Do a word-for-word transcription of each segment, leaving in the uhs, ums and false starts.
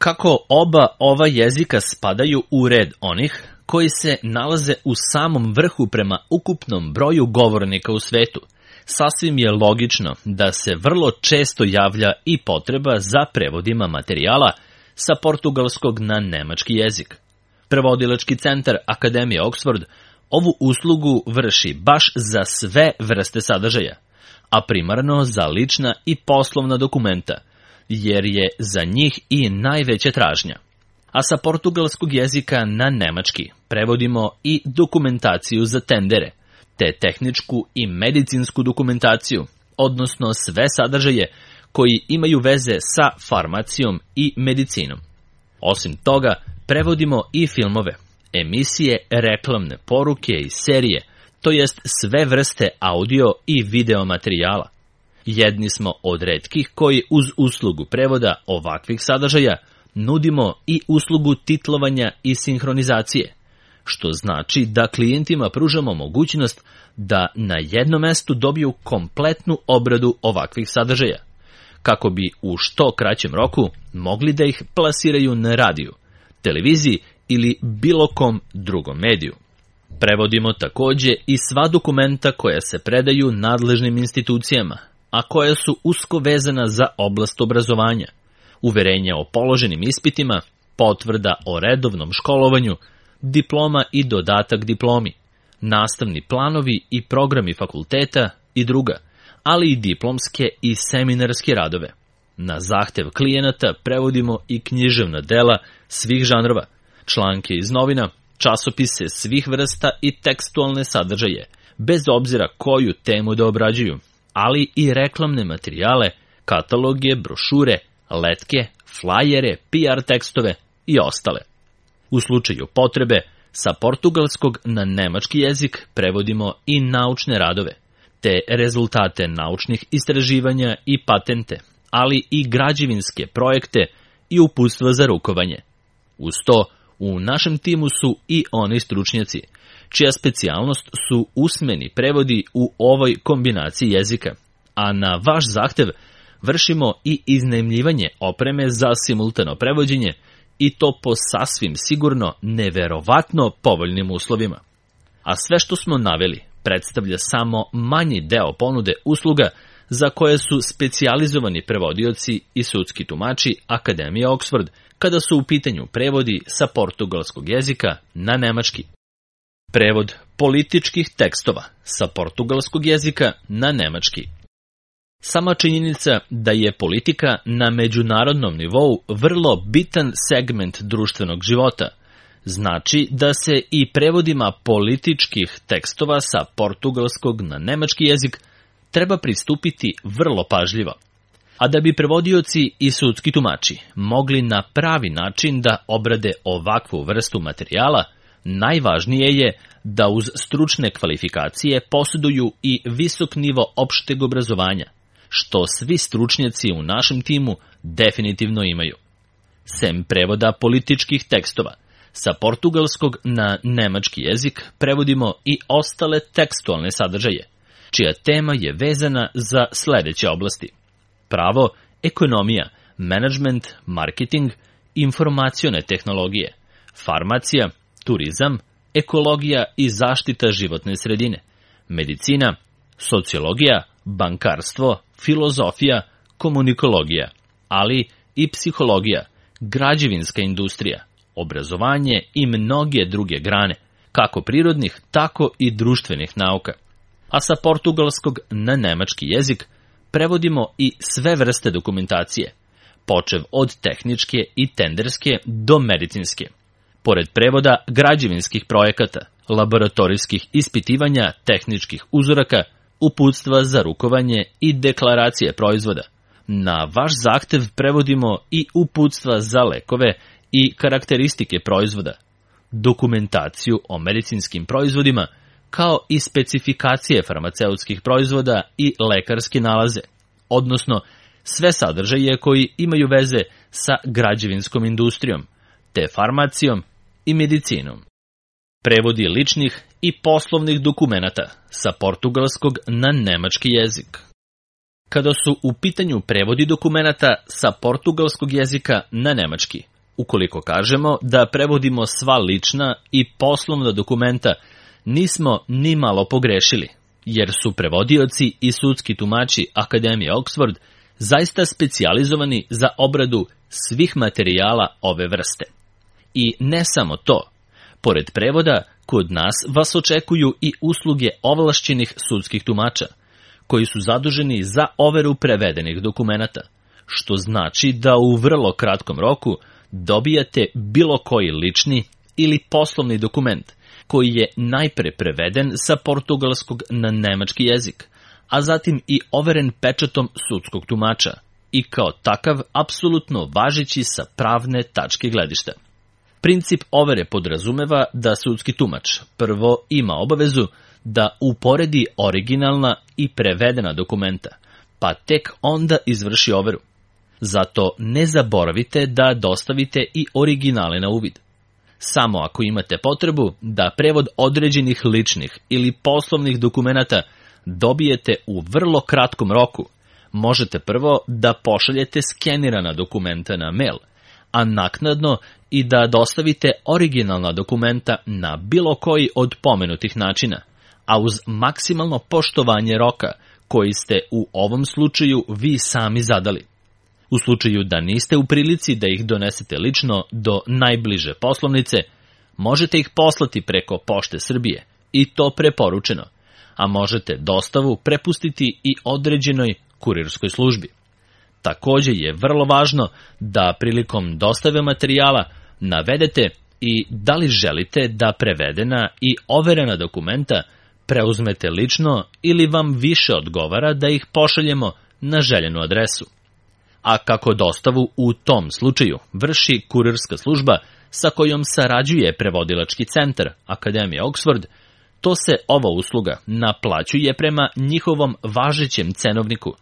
Kako oba ova jezika spadaju u red onih koji se nalaze u samom vrhu prema ukupnom broju govornika u svetu, sasvim je logično da se vrlo često javlja i potreba za prevodima materijala sa portugalskog na nemački jezik. Prevodilački centar Akademije Oxford ovu uslugu vrši baš za sve vrste sadržaja, a primarno za lična i poslovna dokumenta, jer je za njih i najveća tražnja. A sa portugalskog jezika na nemački prevodimo i dokumentaciju za tendere, te tehničku i medicinsku dokumentaciju, odnosno sve sadržaje koji imaju veze sa farmacijom i medicinom. Osim toga, prevodimo i filmove, emisije, reklamne poruke i serije, to jest sve vrste audio i video materijala. Jedni smo od retkih koji uz uslugu prevoda ovakvih sadržaja nudimo i uslugu titlovanja i sinhronizacije, što znači da klijentima pružamo mogućnost da na jednom mestu dobiju kompletnu obradu ovakvih sadržaja, kako bi u što kraćem roku mogli da ih plasiraju na radiju, televiziji ili bilo kom drugom mediju. Prevodimo takođe i sva dokumenta koja se predaju nadležnim institucijama, a koja su usko vezana za oblast obrazovanja, uverenja o položenim ispitima, potvrda o redovnom školovanju, diploma i dodatak diplomi, nastavni planovi i programi fakulteta i druga, ali i diplomske i seminarske radove. Na zahtev klijenata prevodimo i književna dela svih žanrova, članke iz novina, časopise svih vrsta i tekstualne sadržaje, bez obzira koju temu da obrađuju, ali i reklamne materijale, kataloge, brošure, letke, flajere, P R tekstove i ostale. U slučaju potrebe, sa portugalskog na nemački jezik prevodimo i naučne radove, te rezultate naučnih istraživanja i patente, ali i građevinske projekte i uputstva za rukovanje. Uz to, u našem timu su i oni stručnjaci, čija specijalnost su usmeni prevodi u ovoj kombinaciji jezika, a na vaš zahtev vršimo i iznajmljivanje opreme za simultano prevođenje i to po sasvim sigurno neverovatno povoljnim uslovima. A sve što smo naveli predstavlja samo manji deo ponude usluga za koje su specijalizovani prevodioci i sudski tumači Akademije Oxford kada su u pitanju prevodi sa portugalskog jezika na nemački. Prevod političkih tekstova sa portugalskog jezika na nemački. Sama činjenica da je politika na međunarodnom nivou vrlo bitan segment društvenog života, znači da se i prevodima političkih tekstova sa portugalskog na nemački jezik treba pristupiti vrlo pažljivo. A da bi prevodioci i sudski tumači mogli na pravi način da obrade ovakvu vrstu materijala, najvažnije je da uz stručne kvalifikacije posjeduju i visok nivo opšteg obrazovanja, što svi stručnjaci u našem timu definitivno imaju. Sem prevoda političkih tekstova, sa portugalskog na nemački jezik prevodimo i ostale tekstualne sadržaje, čija tema je vezana za sledeće oblasti: pravo, ekonomija, menadžment, marketing, informacione tehnologije, farmacija, turizam, ekologija i zaštita životne sredine, medicina, sociologija, bankarstvo, filozofija, komunikologija, ali i psihologija, građevinska industrija, obrazovanje i mnoge druge grane, kako prirodnih, tako i društvenih nauka. A sa portugalskog na nemački jezik prevodimo i sve vrste dokumentacije, počev od tehničke i tenderske do medicinske. Pored prevoda građevinskih projekata, laboratorijskih ispitivanja tehničkih uzoraka, uputstva za rukovanje i deklaracije proizvoda. Na vaš zahtev prevodimo i uputstva za lekove i karakteristike proizvoda, dokumentaciju o medicinskim proizvodima, kao i specifikacije farmaceutskih proizvoda i lekarske nalaze, odnosno sve sadržaje koji imaju veze sa građevinskom industrijom, te farmacijom i medicinom. Prevodi ličnih i poslovnih dokumenata sa portugalskog na nemački jezik. Kada su u pitanju prevodi dokumenata sa portugalskog jezika na nemački, Ukoliko kažemo da prevodimo sva lična i poslovna dokumenta, nismo ni malo pogrešili, jer su prevodioci i sudski tumači Akademije Oxford zaista specijalizovani za obradu svih materijala ove vrste. I ne samo to, pored prevoda, kod nas vas očekuju i usluge ovlašćenih sudskih tumača, koji su zaduženi za overu prevedenih dokumenata, što znači da u vrlo kratkom roku dobijate bilo koji lični ili poslovni dokument, koji je najpre preveden sa portugalskog na nemački jezik, a zatim i overen pečatom sudskog tumača i kao takav apsolutno važeći sa pravne tačke gledišta. Princip overe podrazumeva da sudski tumač prvo ima obavezu da uporedi originalna i prevedena dokumenta, pa tek onda izvrši overu. Zato ne zaboravite da dostavite i originale na uvid. Samo ako imate potrebu da prevod određenih ličnih ili poslovnih dokumenata dobijete u vrlo kratkom roku, možete prvo da pošaljete skenirana dokumenta na mail, a naknadno i da dostavite originalna dokumenta na bilo koji od pomenutih načina, a uz maksimalno poštovanje roka koji ste u ovom slučaju vi sami zadali. U slučaju da niste u prilici da ih donesete lično do najbliže poslovnice, možete ih poslati preko Pošte Srbije i to preporučeno, a možete dostavu prepustiti i određenoj kurirskoj službi. Takođe je vrlo važno da prilikom dostave materijala navedete i da li želite da prevedena i overena dokumenta preuzmete lično ili vam više odgovara da ih pošaljemo na željenu adresu. A kako dostavu u tom slučaju vrši kurirska služba sa kojom sarađuje prevodilački centar Akademije Oxford, to se ova usluga naplaćuje prema njihovom važećem cenovniku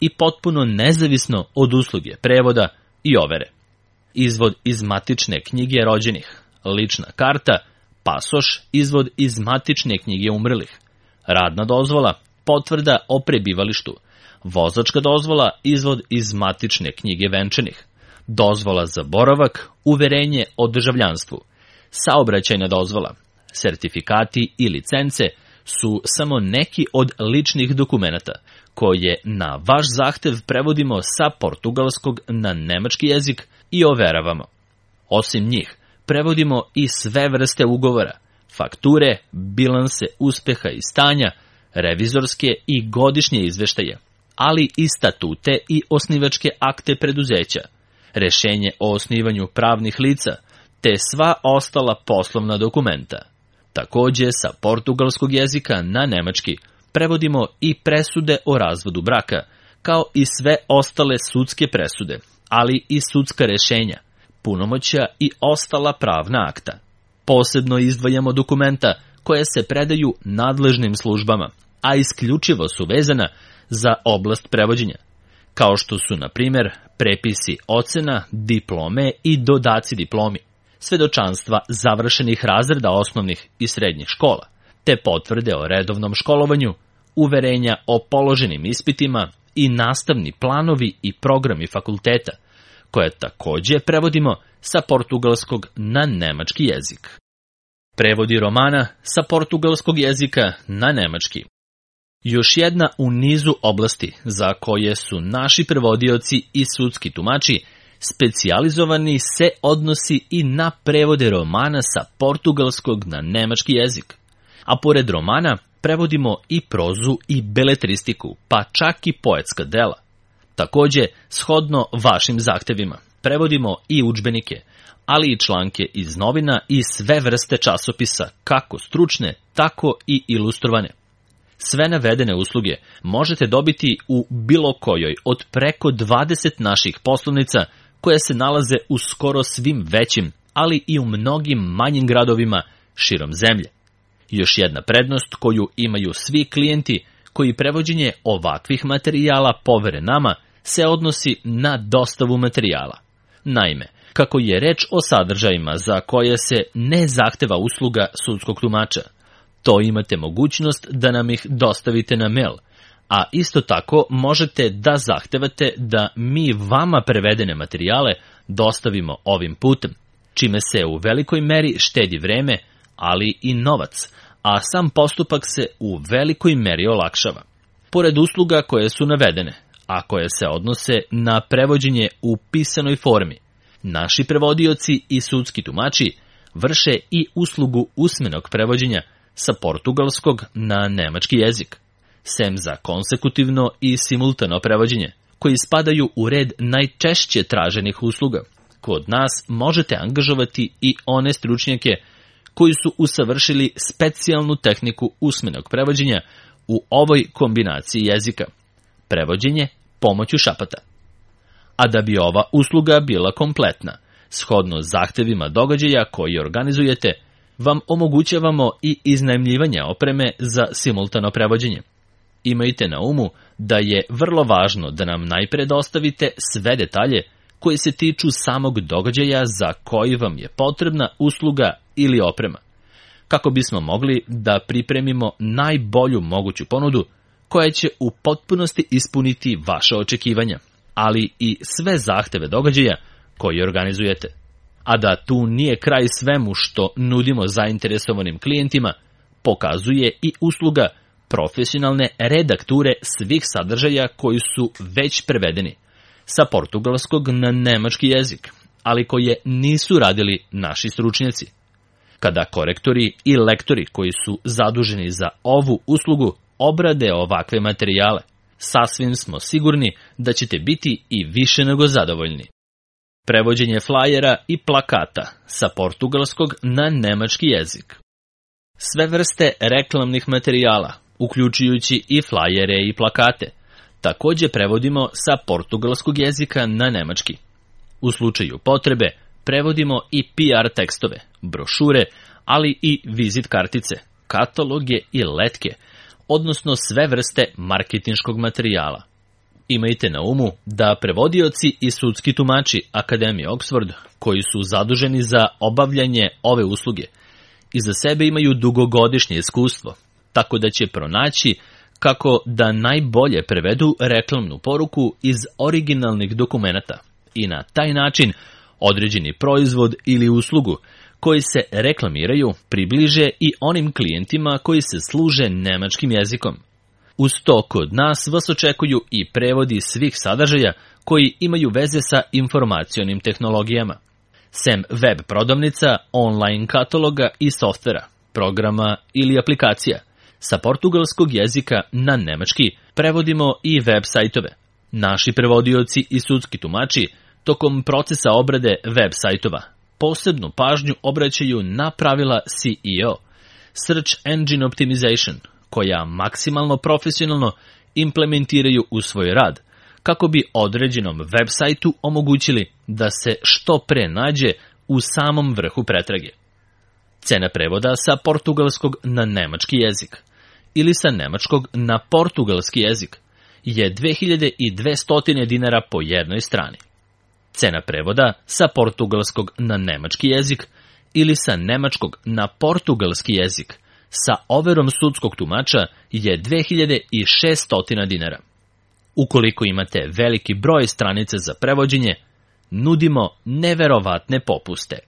i potpuno nezavisno od usluge prevoda i overe. Izvod iz matične knjige rođenih, lična karta, pasoš, izvod iz matične knjige umrlih, radna dozvola, potvrda o prebivalištu, vozačka dozvola, izvod iz matične knjige venčanih, dozvola za boravak, uverenje o državljanstvu, saobraćajna dozvola, sertifikati i licence su samo neki od ličnih dokumenata koje na vaš zahtev prevodimo sa portugalskog na nemački jezik i overavamo. Osim njih, prevodimo i sve vrste ugovora, fakture, bilanse uspeha i stanja, revizorske i godišnje izveštaje, ali i statute i osnivačke akte preduzeća, rešenje o osnivanju pravnih lica, te sva ostala poslovna dokumenta. Takođe, sa portugalskog jezika na nemački prevodimo i presude o razvodu braka, kao i sve ostale sudske presude, ali i sudska rešenja, punomoćja i ostala pravna akta. Posebno izdvajamo dokumenta koje se predaju nadležnim službama, a isključivo su vezana za oblast prevođenja, kao što su, na primjer, prepisi ocena, diplome i dodaci diplomi, svedočanstva završenih razreda osnovnih i srednjih škola, te potvrde o redovnom školovanju, uverenja o položenim ispitima i nastavni planovi i programi fakulteta, koje takođe prevodimo sa portugalskog na nemački jezik. Prevodi romana sa portugalskog jezika na nemački. Još jedna u nizu oblasti za koje su naši prevodioci i sudski tumači specijalizovani se odnosi i na prevode romana sa portugalskog na nemački jezik. A pored romana prevodimo i prozu i beletristiku, pa čak i poetska dela. Takođe, shodno vašim zahtevima, prevodimo i udžbenike, ali i članke iz novina i sve vrste časopisa, kako stručne, tako i ilustrovane. Sve navedene usluge možete dobiti u bilo kojoj od preko dvadeset naših poslovnica koje se nalaze u skoro svim većim, ali i u mnogim manjim gradovima širom zemlje. Još jedna prednost koju imaju svi klijenti koji prevođenje ovakvih materijala povere nama se odnosi na dostavu materijala. Naime, kako je reč o sadržajima za koje se ne zahteva usluga sudskog tumača, to imate mogućnost da nam ih dostavite na mail, a isto tako možete da zahtevate da mi vama prevedene materijale dostavimo ovim putem, čime se u velikoj meri štedi vreme, ali i novac, a sam postupak se u velikoj meri olakšava. Pored usluga koje su navedene, a koje se odnose na prevođenje u pisanoj formi, naši prevodioci i sudski tumači vrše i uslugu usmenog prevođenja sa portugalskog na nemački jezik, sem za konsekutivno i simultano prevođenje, koji spadaju u red najčešće traženih usluga. Kod nas možete angažovati i one stručnjake koji su usavršili specijalnu tehniku usmenog prevođenja u ovoj kombinaciji jezika, prevođenje pomoću šapata. A da bi ova usluga bila kompletna, shodno zahtevima događaja koji organizujete, vam omogućavamo i iznajmljivanje opreme za simultano prevođenje. Imajte na umu da je vrlo važno da nam najpre dostavite sve detalje koji se tiču samog događaja za koji vam je potrebna usluga ili oprema, kako bismo mogli da pripremimo najbolju moguću ponudu koja će u potpunosti ispuniti vaše očekivanja, ali i sve zahteve događaja koji organizujete. A da tu nije kraj svemu što nudimo zainteresovanim klijentima, pokazuje i usluga profesionalne redakture svih sadržaja koji su već prevedeni sa portugalskog na nemački jezik, ali koje nisu radili naši stručnjaci. Kada korektori i lektori koji su zaduženi za ovu uslugu obrade ovakve materijale, sasvim smo sigurni da ćete biti i više nego zadovoljni. Prevođenje flajera i plakata sa portugalskog na nemački jezik. Sve vrste reklamnih materijala, uključujući i flajere i plakate, takođe prevodimo sa portugalskog jezika na nemački. U slučaju potrebe prevodimo i P R tekstove, brošure, ali i vizit kartice, kataloge i letke, odnosno sve vrste marketinškog materijala. Imajte na umu da prevodioci i sudski tumači Akademije Oxford, koji su zaduženi za obavljanje ove usluge, iza sebe imaju dugogodišnje iskustvo, tako da će pronaći kako da najbolje prevedu reklamnu poruku iz originalnih dokumenata i na taj način određeni proizvod ili uslugu koji se reklamiraju približe i onim klijentima koji se služe nemačkim jezikom. Uz to kod nas vas očekuju i prevodi svih sadržaja koji imaju veze sa informacionim tehnologijama, sem web prodavnica, online kataloga i softvera, programa ili aplikacija. Sa portugalskog jezika na nemački prevodimo i web sajtove. Naši prevodioci i sudski tumači tokom procesa obrade web sajtova posebnu pažnju obraćaju na pravila C E O, Search Engine Optimization, koja maksimalno profesionalno implementiraju u svoj rad, kako bi određenom web sajtu omogućili da se što pre nađe u samom vrhu pretrage. Cena prevoda sa portugalskog na nemački jezik ili sa nemačkog na portugalski jezik je dve hiljade dvesta dinara po jednoj strani. Cena prevoda sa portugalskog na nemački jezik ili sa nemačkog na portugalski jezik sa overom sudskog tumača je dve hiljade šeststo dinara. Ukoliko imate veliki broj stranica za prevođenje, nudimo neverovatne popuste.